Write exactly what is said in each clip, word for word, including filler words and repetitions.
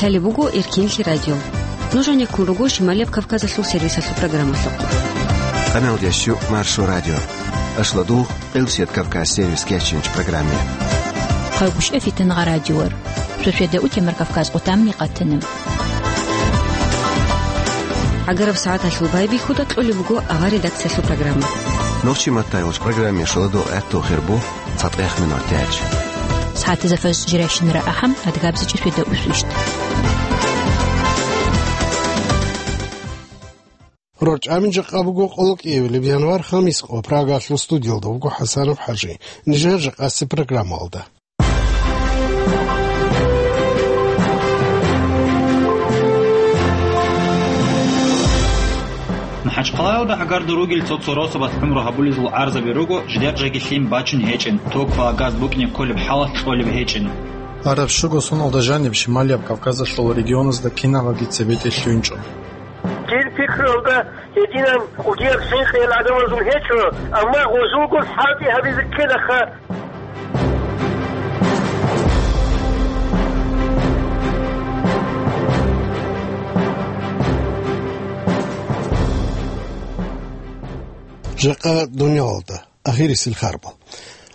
Лъалеб буго Эркинлъи радио. Нуж гьанеккун руго Шималияб Кавказалъул сервисалъул программалъухъ. Къаналдящу Маршо радио. Ашладугъ Къилсият Кавказ сервис кечинч программе. Хъайгуща фитангъа радиор. Шошеда утемар Кавказ къутамни къатана. Агараб сагӀаталъул байбихьуда кьолеб буго авар редакциялъул программа. Нурчи Маттаевич программе шоладул гӀатту хирбу. ЦатӀехъ минут тяч. СагӀатазда фажр жирайщинара ахӀам, адгабзичӀи шведа усвищт. Рорчамин жакъа буго къолокӀиявилеб январ хамис къо. Прагалъул студиялда вуго ХӀасанов ХӀажи. Нижер жакъаси программалда. МахӀачхъалаялда гӀагарда ругел цо-цо росабалъ гӀумру гьабулезул гӀарзаби руго, жидер жаги лъим бачун гьечӀин, ток ва газ букӀине кколеб хӀалалъ кьолеб гьечӀин. Араб щуго соналда жаниб Шималияб Кавказалъул регионазда кинабаги цебетӀе лъугьинчӀо. Дир пикруялда гьединаб кӀудияб хӀинкъи гӀадамазул гьечӀо, амма гъозулго хӀалтӀи гьабизе ккелаха. Жакъа дуниялалда ахирисел харбал.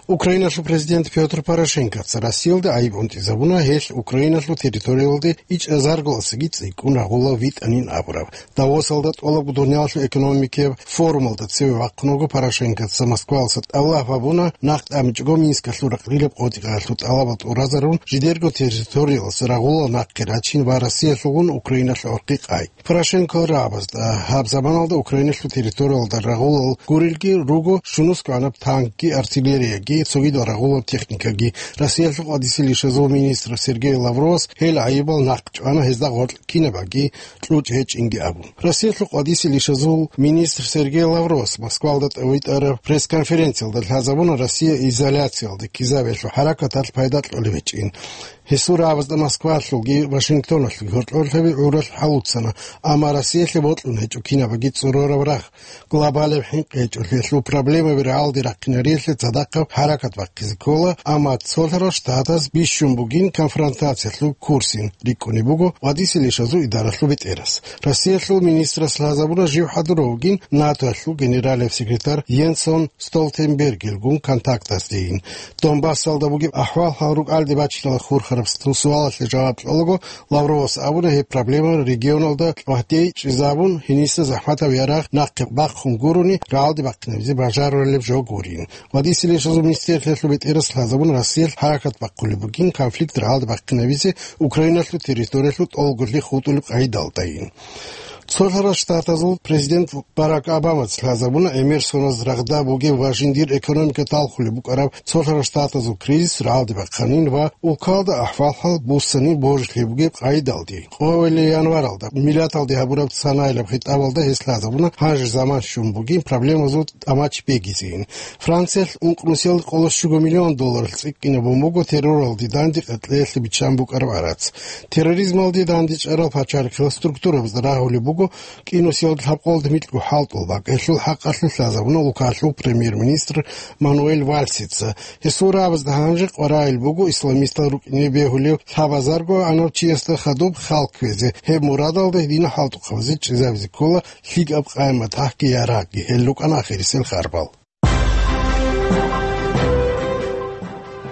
Украиналъул президент Пётр Порошенкоца Россиялда гӀайиб унтӀизабуна, гьелъ Украиналъул территориялде ичӀазаргаласаги цӀикӀкӀун рагъула витӀанин абураб. Давосалда тӀолабго дуниялалъул экономикияб форумалда цеве вахъун вуго Порошенкоца. Москвалъа тӀалаб гьабуна, нахъ тӀамичӀого Минскалъул ракълилаб къотӀиялъул тӀалабал тӀуразарун, жидерго территориялас рагъула нахъе рачин ва Россиялъулгун Украиналъе орхъи къай. Порошенко рагӀабазда гьаб заманалда Украиналъул территориялда рагъулал гурелги руго щунусго гӀанаб танкги, артиллерияги, цогидал рагъулаб техникаги. Россиялъул къвадисел ишазул министр Сергей Лавровас гьел гӀайибал нахъ чӀвана, гьезда гъоркь кинабаги кьучӀ гьечӀинги абун. Россиялъул къвадисел ишазул министр Сергей Лавровас Москвалда тӀавитӀараб пресс-конференциялда лъазабуна Россия изоляциялде ккезабиялъул хӀаракаталъ пайда кьолеб гьечӀин. Гьесул рагӀабазда Москвалъулги Вашингтоналъулги гьоркьорлъаби гӀуралъ хӀалуцана, амма Россиялъе бокьун гьечӀо кинабаги цӀурораб рагъ. Глобалияб хӀинкъи гьечӀолъиялъул проблемаби рагӀалде рахъинариялъе цадахъаб хӀаракат бахъизе ккола, амма цолъарал штатаз бищун бугин конфронтациялъул курсин рикӀкӀунеб буго къвадисел ишазул идаралъул бетӀерас. Россиялъул министрас лъазабуна жив хӀадурав вугин НАТОялъул генералияб секретарь Йенс Столтенбергилгун контактасдейин. Донбассалда бугеб ахӀвал-хӀал рукӀалде бачиналда хурхараб суалалъе жаваб кьолаго, Лавровас абуна, гьеб проблема регионалда гьадин чӀезабун, гьениса захӀматаб ярагъ нахъе бахъун гурони, рагӀалде бахъинабизе бажарулеб жо гурин. Къвадисел ишазул министрлъиялъул бетӀерас лъазабун, Россиялъ хӀаракат бахъулеб бугин конфликт рагӀалде бахъинабизе Украиналъул территориялъул тӀолгорлъи хутӀулеб къагӀидалдайин. Цолъарал Штатазул президент Барак Обамаца лъазабуна гӀемер соназ рагъда бугеб ва жиндир экономика талхулеб букӀараб Цолъарал Штатазул кризис рагӀалде бахъанин ва улкалда ахӀвал-хӀал буссанин божилъи бугеб къагӀидалде. Къоялъ январалда Милаталде гьабураб цанаилаб хитӀабалда гьес лъазабуна, гьанже заман щун бугин проблемазул тӀамач бегизейин. Франциялъ ункънусиялда къоло щуго миллион долларалъ цӀикӀкӀинабун буго терроралде данде къеркьеялъе биччан букӀараб гӀарац. Терроризмалде дандечӀарал пачалихъал структурабазда рагьулеб буго кӀинусиялда лъабкъоялда микьго хӀалтӀул бакӀ. Гьелъул хӀакъалъулъ лъазабуна улкалъул премьер-министр Мануэль Вальсица. Гьесул рагӀабазда гьанже къваригӀел буго исламистал рукӀине бегьулев лъабазарго гӀанав чиясда хадуб хал кквезе. Гьеб мурадалда гьединал хӀалтӀухъабазе чӀезабизе ккола лъикӀаб къайи-матахӀги ярагъги. Гьел рукӀана ахирисел харбал.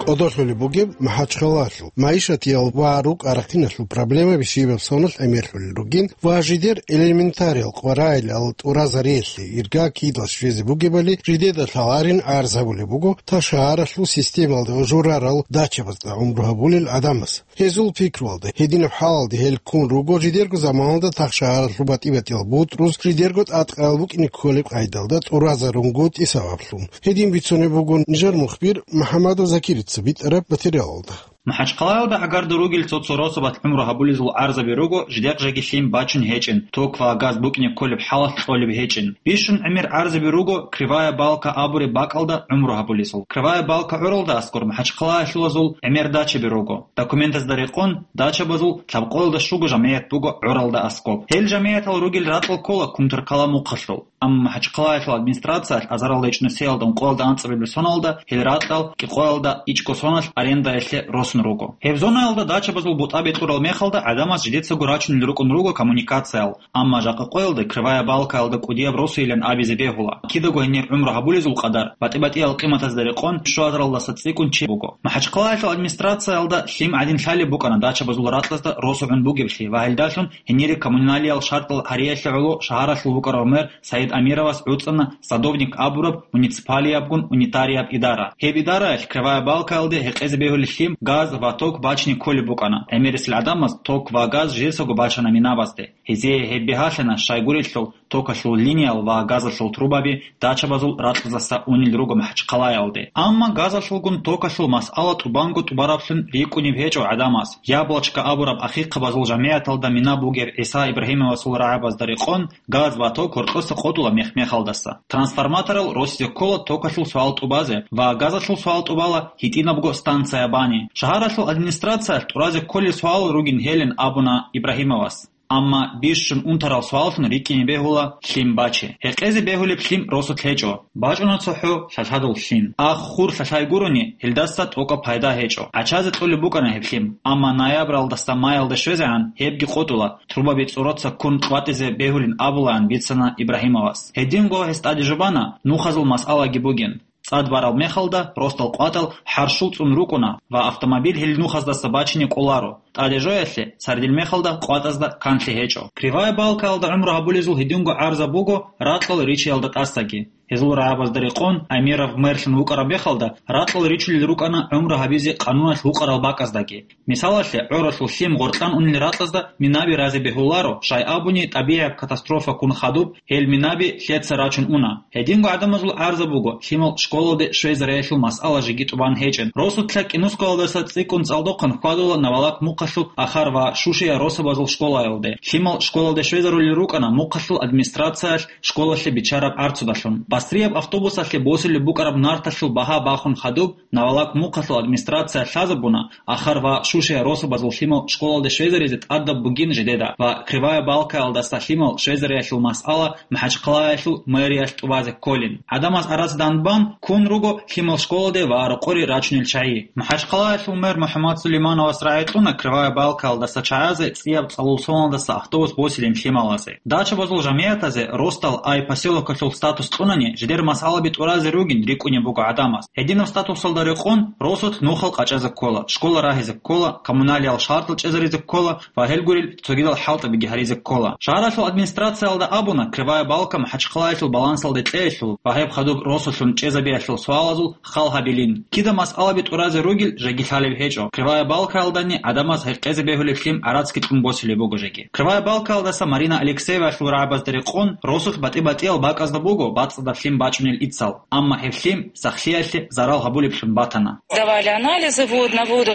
КӀодолъулеб бугеб МахӀачхъалалъул. МагӀишатиял ва рукӀа-рахъиналъул проблемаби щибаб соналъ гӀемерлъулел ругин ва жидер элементариял къваригӀел тӀуразариялъе ирга кидал щвезе бугебали жидеда лъаларин гӀарз гьабулеб буго та шагьаралъул системалда журарал дачабазда гӀумру гьабулел гӀадамаз. Гьезул пикруялда, гьединаб хӀалалде гьел ккун руго жидерго заманалда та шагьаралъул батӀи-батӀиял бутӀруз жидерго тӀадкъаял букӀине кколеб къайдалда тӀуразарунгутӀи сабаблъун. Гьедин бицунеб буго нижер мухбир МухӀаммадов Закирица битӀараб материалалда. МахӀачхъалаялда гӀагарда ругел цо-цо росабалъ гӀумру гьабулезул гӀарзаби руго, жидер жаги лъим бачун гьечӀин, ток ва газ букӀине кколеб хӀалалъ кьолеб гьечӀин. Бищун гӀемер гӀарзаби руго Кривая Балка абуреб бакӀалда гӀумру гьабулезул. Кривая Балка гӀуралда аскӀор МахӀачхъалаялъулазул гӀемер дачаби руго. Документазда рекъон, дачабазул лъабкъоялда щуго жамигӀат буго гӀуралда аскӀоб. Гьел жамигӀатал ругел ракьал ккола Кумтаркала мухъалъул. Амма МахӀачхъалаялъул администрациялъ азаралда ичӀнусиялда ункъоялда анцӀабилеб соналда гьел ракьал кӀикъоялда ичӀго соналъ арендаялъе росун руго. Гьеб зонаялда дачабазул бутӀа бетӀурал мехалда гӀадамаз жидецаго рачунел рукӀун руго коммуникациял, амма жакъа къоялда Кривая Балкаялда кӀудияб росуйилан абизе бегьула. Кидаго гьенир гӀумру гьабулезул къадар, батӀи-батӀиял къиматазда рекъон, щуазаралдаса цӀикӀкӀун чи буго. МахӀачхъалаялъул администрациялда лъим гӀадин лъалеб букӀана дачабазул ракьазда росугӀун бугеблъи ва гьелдалъун гьенире коммуналиял шартӀал гьариялъе гӀоло шагьаралъул вукӀарав мэр Саид Амировас гӀуцӀана садовник абураб муниципалиябгун унитарияб идара. Гьеб идараялъ Кривая Балкаялде гьекъезе бегьулеб лъим, газ ва ток бачине кколеб букӀана. ГӀемерисел гӀадамаз ток ва газ жесаго бачана минабазде. Гьезие гьеб бигьалъана, щайгурелъул токалъул линиял ва газалъул трубаби дачабазул ракьаздаса унел руго МахӀачхъалаялде. Амма газалъулгун токалъул масъала тӀубанго тӀубараблъун рикӀкӀунеб гьечӀо гӀадамаз. Яблочко абураб ахихъабазул жамигӀаталда мина бугеб ГӀиса Ибрагьимовасул рагӀабазда рекъон, газ ва ток гьоркьоса къотӀула мех-мехалдаса. Трансформаторал росизе ккола токалъул суал тӀубазе ва газалъул суал тӀубала гьитӀинабго станция бани. Шагьаралъул администрациялъ тӀуразе кколел суал ругин гьелин абуна Ибрагьимовас. Амма бищун унтарал суаллъун рикӀкӀине бегьула лъим бачи. Гьекъезе бегьулеб лъим росулъ гьечӀо. БачӀуна цохӀо лъалъадул лъим. Ах хур лъалъай гурони, гьелдаса тӀокӀаб пайда гьечӀо. ГӀачазе кьолеб букӀана гьеб лъим, амма ноябралдаса майялде щвезегӀан гьебги къотӀула, трубаби цӀороца ккун къватӀизе бегьулин абулаан бицана Ибрагьимовас. Гьединго гьес тӀаде жубана нухазул масъалаги бугин. ЦӀад барал мехалда росдал къватӀал хӀарщул цӀун рукӀуна ва автомобиль гьел нухаздаса бачине кӀоларо. ТӀаде жоялъе цардил мехалда къватӀазда канлъи гьечӀо. Кривая Балкаялда гӀумру гьабулезул гьединго гӀарза буго ракьал ричиялда тӀасаги. Гьезул рагӀабазда рекъон, Амиров мэрлъун вукӀараб мехалда, ракьал ричулел рукӀана гӀумру гьабизе къануналъ вукӀарал бакӀаздаги. Мисалалъе, гӀоралъул лъим гъоркьан унел ракьазда минаби разе бегьуларо, щай абуни тӀабигӀияб катастрофа ккун хадуб, гьел минаби лъеца рачун уна. Гьединго гӀадамазул гӀарза буго, лъимал школалде щвезариялъул масъала жеги тӀубан гьечӀин. Росулъа КӀинусковалдаса цӀикӀкӀун цӀалдохъан хьвадула Навалак мухъалъул Ахар ва Шушия росабазул школаялде. Лъимал школалде щвезарулел рукӀана мухъалъул администрациялъ школалъе биччараб гӀарцудалъун. Бастрияб автобусалъе босулеб букӀараб нарталъул багьа бахун хадуб, Навалак мухъалъул администрация лъазабуна, Ахар ва Шушия росабазул лъимал школалде щвезаризе тӀадаб бугин жидеда ва Кривая Балкаялдаса лъимал щвезариялъул масъала МахӀачхъалаялъул мэриялъ тӀубазе кколин. ГӀадамаз арацадан бан ккун руго лъимал школалде ва рокъоре рачунел чагӀи. МахӀачхъалаялъул мэр МухӀаммад Сулеймановас рагӀи кьуна Кривая Балкаялдаса чагӀазе цӀияб цӀалул соналдаса автобус босилин лъималазе. Дачабазул жамигӀатазе росдал ай поселокалъул статус кьунани, жидер масъалаби тӀуразе ругин рикӀкӀунеб буго гӀадамаз. Гьединаб статусалда рекъон росулъ нухал къачӀазе ккола, школа рагьизе ккола, коммуналиял шартӀал чӀезаризе ккола ва гьел гурел цогидал хӀалтӀабиги гьаризе ккола. Шагьаралъул администрациялда абуна, Кривая Балка МахӀачхъалаялъул балансалде кьеялъул ва гьеб хадуб росулъун чӀезабиялъул суалазул хал гьабилин. Кида масъалаби тӀуразе ругел жеги лъалеб гьечӀо. Кривая Балкаялдани гӀадамаз гьекъезе бегьулеб лъим гӀарацги кьун босулеб буго жеги. Кривая Балкаялдаса Марина Алексеевалъул рагӀабазда рекъон, росулъ батӀи-батӀиял бакӀазда буго бацӀцӀадаб лъим бачӀунел ицал, амма гьеб лъим сахлъиялъе зарал гьабулеблъун батана. Давали анализы, вот, на воду,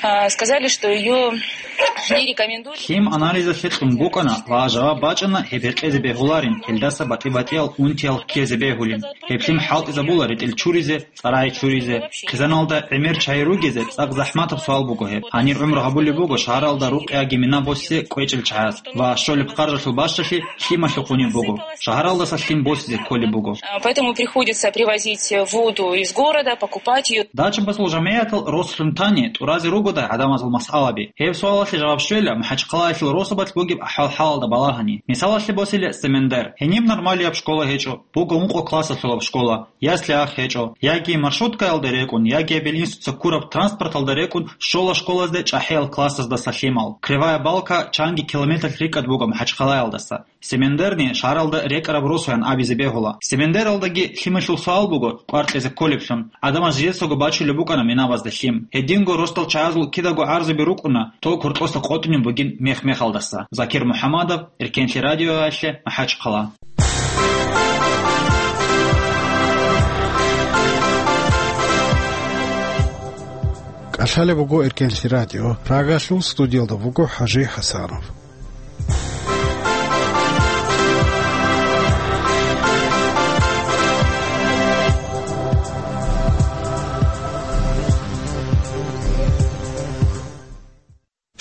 а, сказали, что её не рекомендуют. Лъим анализалъе кьун букӀана ва жаваб бачӀана гьеб гьекъезе бегьуларин, гьелдаса батӀи-батӀиял унтиял ккезе бегьулин. Гьеб лъим хӀалтӀизабула ретӀел чуризе, цӀарай чуризе. Хъизаналда гӀемер чагӀи ругезе цӀакъ захӀматаб суал буго гьеб. Гьанир гӀумру гьабулеб буго шагьаралда рукъиги мина босизе кӀвечӀел чагӀаз ва щолеб харжалъул бащалъи лъималъухъунеб буго. Шагьаралдаса лъим босизе кколеб буго. А, поэтому приходится привозить воду из города, покупать её. Дачабазул жамигӀатал росулъун тани тӀуразе ругодай гӀадамазул масъалаби? Гьеб суалалъе жаваб щвела МахӀачхъалаялъул росабалъ бугеб ахӀвал-хӀалалда балагьани. Мисалалъе босила Семендер. Гьениб нормалияб школа гьечӀо, буго ункъо классалъулаб школа, ясли ах гьечӀо, яги маршруткаялда рекӀун, яги гьебил институтца ккураб транспорталда рекӀун щола школазде чӀахӀиял классаздаса лъимал. Кривая Балка чанги километр рикӀкӀад буго МахӀачхъалаялдаса. Семендерни шагьаралда рекӀараб росуян абизе бегьула. Семендералдаги лъималъул суал буго къваркьизе кколеблъун. ГӀадамаз жидецаго бачулеб букӀана минабазда лъим. Гьединго росдал чагӀазул кидаго гӀарзаби рукӀуна ток гьоркьоса къотӀунеб бугин мех-мехалдаса. Закир МухӀамадов, Эркенлъи радиоялъе, МахӀачхъала. КӀалъалеб буго Эркенлъи радио. Прагалъул студиялда вуго ХӀажи ХӀасанов.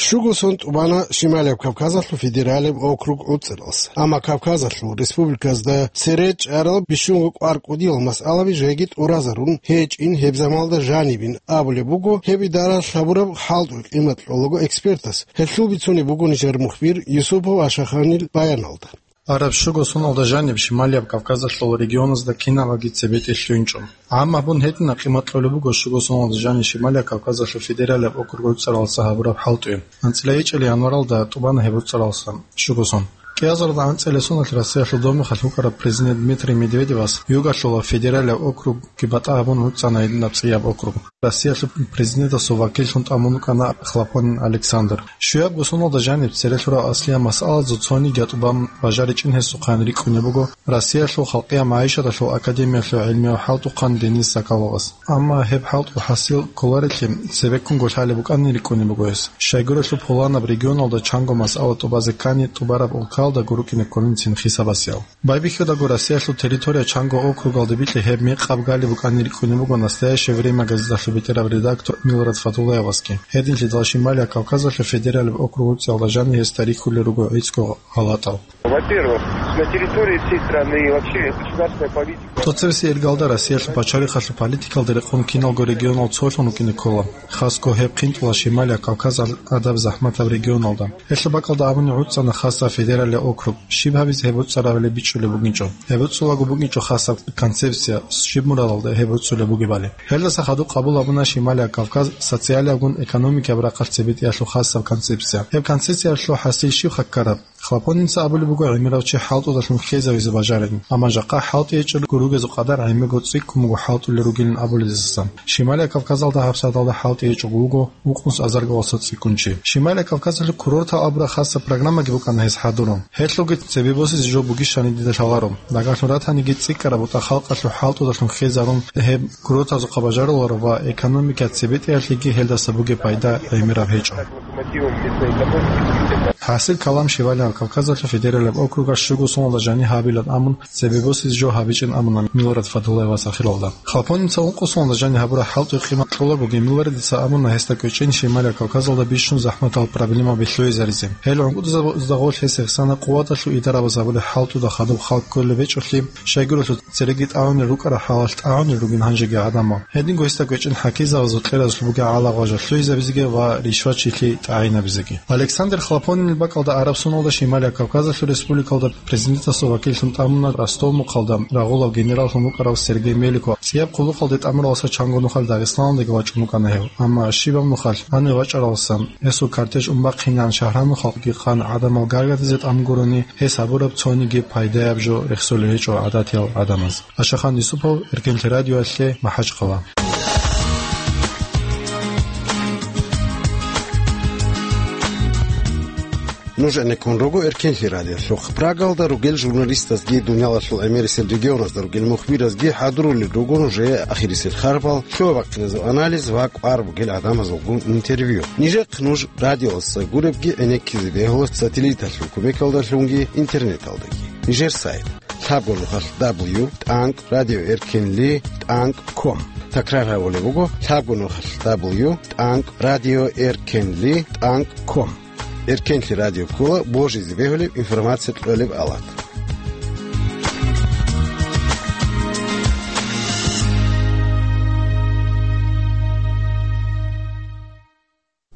Щуго сон тӀубана Шималияб Кавказалъул федералияб округ ГӀуцӀаралъ. Амма Кавказалъул республиказда цере чӀарал бищунго кӀвар кӀудиял масъалаби жеги тӀуразарун гьечӀин гьеб замалда жанибин абулеб буго гьеб идара лъабураб хӀалтӀул къимат кьолаго экспертас. Гьелъул бицунеб буго нижер мухбир Юсупов Ашаханил баяналда. Араб щуго соналда жаниб Шималияб Кавказалъул регионазда кинабаги цебетӀе лъугьинчӀо. ГӀамма гьабун гьедина къимат кьолеб буго щуго соналда жаниб Шималияб Кавказалъул федералияб округ ГӀуцӀаралъа гьабураб хӀалтӀи. АнцӀила гьечӀел январалда тӀубана гьеб ГӀуцӀаралъа щуго сон. КӀиазарда анцӀила соналъ Россиялъул Домихалъ вукӀарав президент Дмитрий Медведевас югалъула федералияб округги батӀа гьабун гӀуцӀана гьединаб цӀияб округ. Россиялъул президентасул вакиллъун тӀамун вукӀана Хлопонин Александр. Щуябго соналда жаниб церелъурал аслияб масъалазул цониги тӀубан бажаричӀин гьесухъан рикӀкӀунеб буго Россиялъул халкъияб магӀишаталъул академиялъул гӀелмияв хӀалтӀухъан Денис Соколовас. Амма гьеб хӀалтӀул хӀасил кколарелъи цебеккунго лъалеб букӀанин рикӀкӀунеб буго гьес. Щайгурелъул пуланаб регионалда чанго масъала тӀубазе ккани тӀубараб улкалда гурукӀине кколинцин хисабасиял. Байбихьудаго Россиялъул территория чанго округалде бикьи гьеб мекъаб галеб букӀанин рикӀкӀунеб буго «Настоящее время» газеталъул бетӀераб редактор Милрат Фатуллаевасги. Гьединлъидал Шималияб Кавказалъул федералияб округ ГӀуцӀиялда жаниб гьес тарихулел руго гӀицӀго гьалатӀал. Во-первых, на территории всей страны и вообще государственная политика. ТӀоцебесеб иргалда Россиялъул пачалихъалъул политикалде рекъон киналго регионал цолъун рукӀине ккола. Хасго гьеб хъинтӀула Шималияб Кавказалъ гӀадаб захӀматаб регионалда. Гьелъул бакӀалда абуни гӀуцӀана хасаб федералияб округ. Щиб гьабизе гьеб гӀуцӀарабали бичӀчӀулеб бугинчӀо. Гьеб гӀуцӀулаго бугинчӀо хасаб концепция, щиб мурадалда гьеб гӀуцӀулеб бугебали. Гьелдаса хадуб къабул гьабуна Шималияб Кавказ социалиябгун экономикияб рахъалъ цебетӀеялъул хасаб концепция. Гьеб концепциялъул хӀасил щиб хъаккараб? Хлопонинца абулеб буго гӀемерав чи хӀалтӀудалъун хьезавизе бажарин, амма жакъа хӀалтӀи гьечӀел гуругезул къадар гӀемерго цӀикӀкӀун буго хӀалтӀулел ругилин абулезасан. Шималияб Кавказалда гьабсагӀаталда хӀалтӀи гьечӀого вуго вукъунс азарго васда цӀикӀкӀун чи. Шималияб Кавказалъул курортал абураб хасаб программаги букӀана гьес хӀадурун. Гьелъулги цебе босизе жо бугищани дида лъаларо. Дагьалъун ратаниги цӀикӀкӀараб бутӀа халкъалъул хӀалтӀудалъун хьезарун гьеб курортазухъа бажаруларо ва экономика цебетӀеялъеги гьелдаса бугеб пайда гӀемераб гьечӀо. ХӀасил калам Шималияб Кавказалъул федералияб округас щуго соналда жаниб гьабилан абун, цебе босизе жо гьабичӀин абуна Милрат Фатуллаевас ахиралда. Хлопонинца ункъо соналда жаниб гьабураб хӀалтӀи къимат кьолагоги, Милратица абуна гьесда кӀвечӀин Шималияб Кавказалда бищун захӀматал проблемаби лъугӀизаризе. Гьел гӀунгутӀзабазда гъорлъ гьес гьесана къуваталъул идарабаз гьабулеб хӀалтӀуда хадуб халкъ кколеб гьечӀолъи, щайгурелъул цереги тӀагӀунел рукӀарал хӀалалъ тӀагӀунел ругин гьанжеги гӀадамал. Гьединго гьесда кӀвечӀин хӀакизабазул кьеразулъ бугеб гӀалагъважа лъугӀизабизеги ва ришвачилъи тӀагӀинабизеги. Александр Хлопонинил бакӀалда араб соналда Шималияб Кавказалъул республикалда президентасул вакиллъун тӀамуна Ростов-мухъалда рагъулав генераллъун вукӀарав Сергей Меликов. ЦӀияб хъулухъалде тӀамуралдаса чанго нухалъ Дагъистаналдеги вачӀун вукӀана гьев. Амма щибаб нухалъ гьанив вачӀаралдасан гьесул кортеж унбахъинегӀан шагьранухъалги хъан гӀадамал гаргадизе тӀамун гурони, гьес гьабураб цониги пайдаяб жо рехсолел гьечӀо гӀадатиял гӀадамаз. Ашахан Юсупов, Эркенлъи радиоялъе, МахӀачхъала. Нуж гӀенеккун руго Эркенлъи радиолъухъ. Прагалда ругел журналистазги, дуниялалъул гӀемерисел регионазда ругел мухбиразги хӀадурулел руго нужее ахирисел харбал, лъугьа-бахъиназул анализ ва кӀвар бугел гӀадамазулгун интервью. Нижехъ нуж радиоялдаса гуребги гӀенеккизе бегьула сателлиталъул кумекалдалъунги интернеталдаги. Нижер сайт: лъабго нухалъ дабл ю тӀанкӀ радио эркенли тӀанкӀ ком. Такрар гьабулеб буго: лъабго нухалъ дабл ю тӀанкӀ радио эркенли тӀанкӀ ком. Эркенлъи радио ккола божизе бегьулеб, информация кьолеб алат.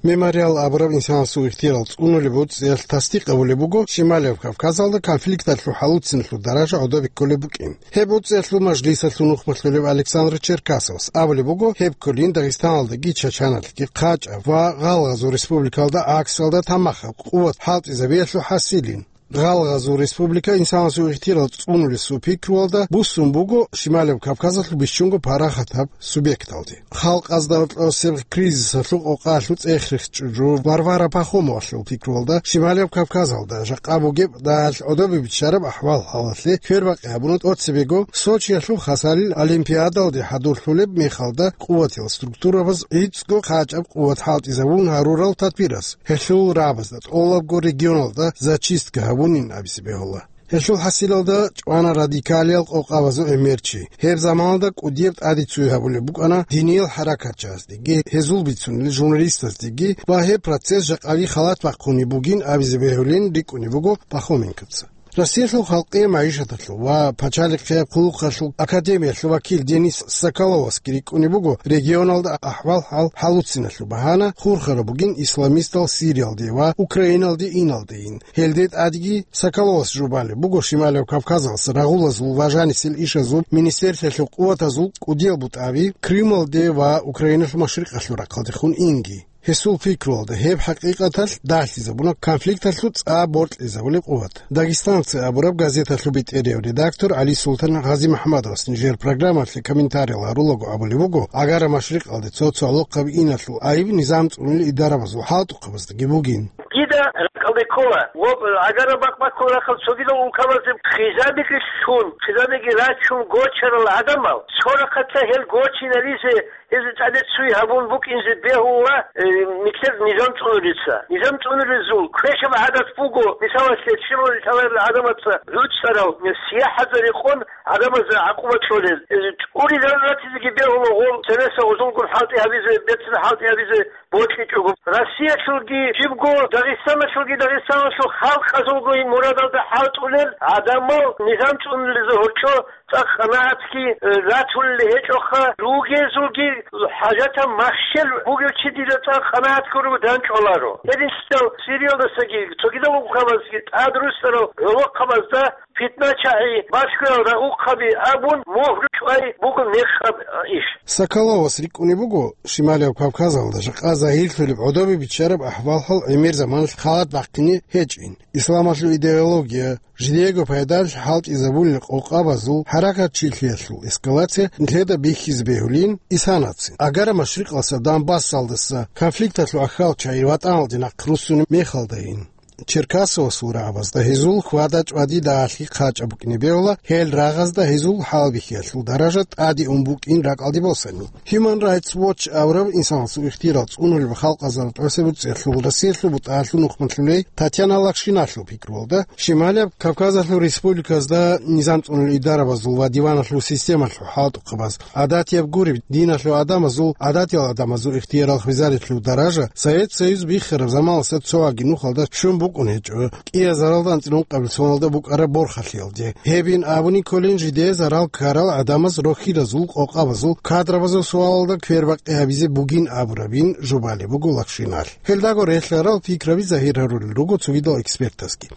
Мемориал абураб инсанасул ихтияр цӀунулеб боцӀиялъ тасдикъ гьабулеб буго Шималияб Кавказалда конфликталъул хӀалуцинлъул даража гӀодобе кколеб букӀин. Гьеб боцӀиялъул мажлисалъул нухбалъулев Александр Черкасовас абулеб буго, гьеб кколин Дагъистаналдаги Чачаналдаги хъачӀаб ва гъалгъазул республикалда гӀаксалда тамахаб къуват хӀалтӀизабиялъул хӀасилин. Гъалгъазул республика инсанасул ихтияр цӀунулесул пикруялда буссун буго Шималияб Кавказалъул бищунго парахатаб субъекталде. Халкъазда гьоркьосеб кризисалъул къокъалъул цӀех рехчӀун жо Варвара Пахомовалъул пикруялда Шималияб Кавказалда жакъа бугеб дагьалъ гӀодобе биччараб ахӀвал-хӀалалъе квербакъи гьабуна тӀоцебего Сочиялъул хасалил олимпиадалде хӀадурлъулеб мехалда къуватиял структурабаз гӀицӀго хъачӀаб къуват хӀалтӀизабун гьарурал тадбираз. Гьелъул рагӀабазда тӀолабго регионалда зачистка гьабунин абизе бегьула. Гьелъул хӀасилалда чӀвана радикалиял къокъабазул гӀемерчи. Гьеб заманалда кӀудияб тӀаде цуй гьабулеб букӀана диниял хӀаракатчиясдеги, гьезул бицунел журналистаздеги ва гьеб процесс жакъаги халат бахъунеб бугин абизе бегьулин рикӀкӀунеб буго Пахоменковца. Россиялъул халкъияб магӀишаталъул ва пачалихъияб хъулухъалъул академиялъул вакил Денис Соколовасги рикӀкӀунеб буго регионалда ахӀвал-хӀал хӀалуциналъул багьана хурхараб бугин исламистал Сириялде ва Украиналде иналдейин. Гьелде тӀадги Соколовас жубалеб буго Шималияб Кавказалъ рагъулазул ва жанисел ишазул министерствоялъул къуватазул кӀудиял бутӀаби Крымалде ва Украиналъул машрикъалъул рахъалдехун инги. Гьесул пикруялда, гьеб хӀакъикъаталъ дагьлъизабуна конфликталъул цӀа боркьизабулеб къуват. «Дагестанцы» абураб газеталъул бетӀерияв редактор ГӀали Султан ГъазимахӀмадовас нижер программалъе комментариял гьарулаго абулеб буго, Агара машрикъалде цо-цо гӀолохъаби иналъул айиб низам цӀунулел идарабазул хӀалтӀухъабаздаги бугин. Дида ракӀалде ккола, ва агара бакъ-баккул рахъал цогидал улкабазе хизабиги лъун, хизабиги рачун гочарал гӀадамал, цо рахъалъа гьел гочинализе, гьезул тӀаде цуй гьабун букӀинзе бегьула, э, нилъер низам цӀунурица. Низам цӀунуризул квешаб гӀадат буго, мисалалъе, щибаб лъаларел гӀадамаца гӀуцӀарал, э, сияхӀазари къон гӀадамазда гӀакъуба кьолел. Э, тӀури ратизеги бегьула гъол, цересел гъузулгун хӀалтӀи гьабизе, бецин хӀалтӀи гьабизе бокьичӀого. Россиялъулги жибго, Дагъистаналъулги, Дагъистаналъул халкъазулго мурадалда хӀалтӀулел гӀадамал низам цӀунулезе гьоркьо цӀакъ къанагӀатги, э, ратулел гьечӀоха, ругезулги хӀажатаб махщел бугев чи дида цӀакъ къанагӀат гурого данчӀваларо. Гьединлъидал Сириялдасаги, цогидал улкабазги тӀад руссарал гӀолохъабазда питна-чагӀи, башгоял рагъухъаби абун, мухӀру чӀвай буго мехаб иш. Соколовас рикӀкӀунеб буго, Шималияб Кавказалда жакъа загьирлъулеб гӀодобе биччараб ахӀвал-хӀал гӀемер заманалъ халат бахъине гьечӀин. Исламалъул идеология, жидеего пайдалъ хӀалтӀизабулел къокъабазул хӀаракатчилъиялъул эскалация нилъеда бихьизе бегьулин исанацин. Агара машрикъалъа Донбассалдаса конфликталъул ахьал чагӀи ватӀаналде нахъ руссунеб мехалдайин. Черкасовасул рагӀабазда гьезул хьвада-чӀвади дагьалъи хъачӀаб букӀине бегьула, гьел рагъазда гьезул хӀалбихьиялъул даража тӀаде ун букӀин ракӀалде босани. Human Rights Watch абураб инсанасул ихтияр цӀунулеб халкъазул тӀоцебе цӀехлъул Россиялъул бутӀалъул нухмалъулей Татьяна Лакшиналъул пикруялда, Шималияб Кавказалъул республиказда низам цӀунулел идарабазул ва диваналъул системалъул хӀалтӀухъабаз, гӀадатияб гуреб диналъул гӀадамазул, гӀадатиял гӀадамазул ихтиярал хвезарилъул даража Совет Союз биххараб заманалъа цоаги нухалда щун букӀун гьечӀо. КӀиязаралда анцӀила ункъабилеб соналда букӀараб борхалъиялде. Гьебин абуни кколин жидее зарал ккарал гӀадамаз рохьиразул къокъабазул кадрабазул суалалда квербакъи гьабизе бугин абурабин жубалеб буго Лакшиналъ. Гьелдаго релълъарал пикраби загьир гьарулел руго цогидал экспертазги.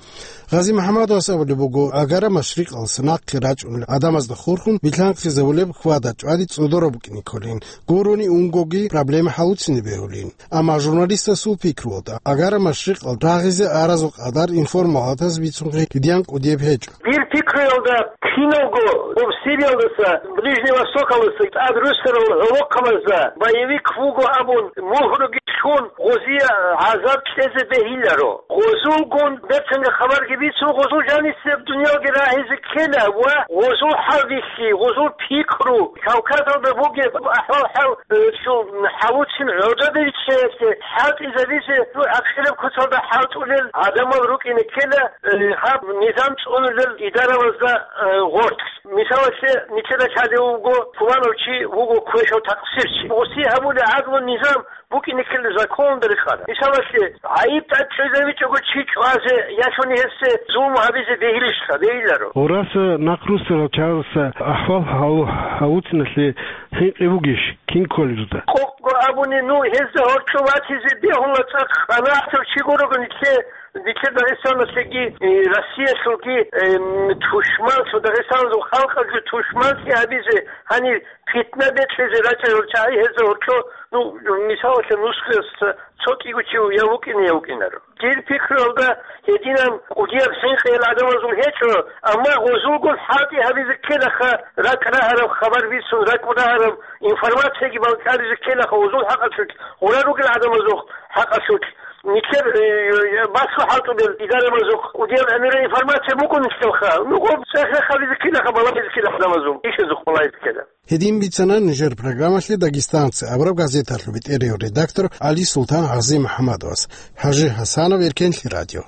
ГъазимахӀмадовас абулеб буго, Агара машрикъалъа нахъе рачӀунел гӀадамазда хурхун билъанхъизабулеб хьвада-чӀвади цӀодоро букӀине кколин, гурони унгоги проблема хӀалуцине бегьулин. Амма журналистасул пикруялда, Агара машрикъал рагъизе аразул къадар информалатаз бицунхъе кидиян кӀудияб гьечӀо. Дир пикруялда, киналго гъоб Сириялдаса, Ближний Востокалдаса тӀад руссарал гӀолохъабазда боевик вуго абун, мухӀруги лъун, гъозие гӀазаб кьезе бегьиларо. Гъозулгун бецанга хабарги бицун, гъозул жанисеб дуниялги рагьизе ккела ва гъозул хӀалбихьи, гъозул пикру, Кавказалда бугеб ахӀвал-хӀал, э, цо хӀалуцин гӀодобе риччаялъе хӀалтӀизабизе, ну, ахираб куцалда хӀалтӀулел гӀадамал рукӀине ккела, э, гьаб низам цӀунулел идарабазда, э, гъоркь. Мисалалъе, нилъеда лъалев вуго, пуланав чи вуго квешав такъсирчи. Гъуси гьабулеб гӀадлу низам букӀине ккела законалда рекъараб. Мисалалъе, гӀайиб тӀад чӀезавичӀого чи чӀвазе, ялъуни гьесде зулму гьабизе бегьилищха, бегьиларо. Гъураса нахъ руссарал чагӀазда ахӀвал гьалу-, гьалуциналъе хӀинкъи бугищ, кин кколеб жо? Къокъго абуни, ну, гьезда гьоркьо ватизе бегьула цӀакъ къанагӀатав чи гурого нилъе, нилъер Дагъистаналъеги, э, Россиялъулги, эм, тушманлъу, Дагъистаналъул халкъалъул тушманлъи гьабизе, гьанир питна бекьизе рачӀарал чагӀи гьезда гьоркьо, ну, мисалалъе, нусгоясда цо кӀиго чи я вукӀине, я вукӀинаро. Дир пикруялда, гьединан кӀудияб хӀинкъи гьел гӀадамазул гьечӀо, амма гъозулгун хӀалтӀи гьабизе ккелаха, ракӀ рагьараб хабар бицун, ракӀ рагьараб информацияги балкӀаризе ккелаха гъозул хӀакъалъулъ, гъура ругел гӀадамазул хӀакъалъулъ. Нилъер, э, э, басла хӀалтӀулел идарамазухъ кӀудияб гӀемераб информация букӀун нилъелха. Нугъ цӀех-рехабизе ккелаха, балагьизе ккела гӀадамазул, ишазухъ балагьизе ккела. Гьедин бицана нижер программалъе «Дагестанцы» абураб газеталъул бетӀерияв редактор ГӀали Султан ГъазимахӀмадовас. ХӀажи ХӀасанов, Эркенлъи радио.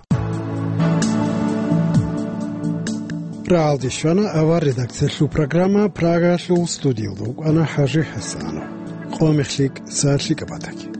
Рагьалде щвана авар редакциялъул программа. Прагалъул студиялда вукӀана ХӀажи ХӀасанов. Къо мехлъи кӀса лъикӀаб батаги.